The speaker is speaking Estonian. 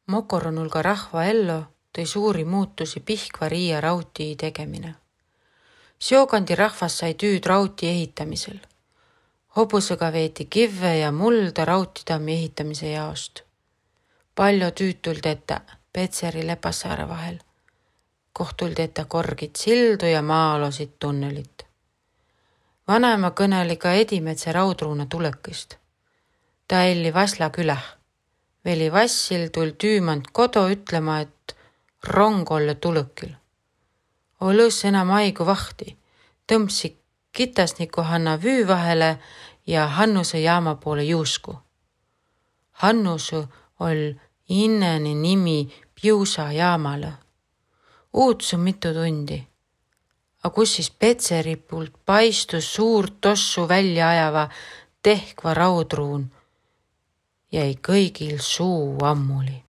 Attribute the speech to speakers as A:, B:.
A: Mokoronulga rahva ello tõi suuri muutusi Pihkva Riia rautii tegemine. Seokandi rahvas sai tüüd rauti ehitamisel. Hobusega veeti kivve ja mulda rautitammi ehitamise jaost. Palju tüüd tuldi ette Petseri Lepassaare vahel. Koht tuldi ette korgid sildu ja maa-alosid tunnelit. Vanaema kõneli ka Edimetse raudruuna tulekist. Ta elli Vasla küläh. Veli Vassil tul tüümand kodo ütlema, et rong olle tulõkil. Olõs enam aigu vahti, tõmbsi kitasniku Hanna Vüü vahele ja Hannuse jaama poole juusku. Hannusu ol inneni nimi Piusa jaamale. Uudsu mitu tundi. A kus siis Petseri poolt paistus suurt tossu välja ajava tehkva raudruun jäi kõigil suu ammuli.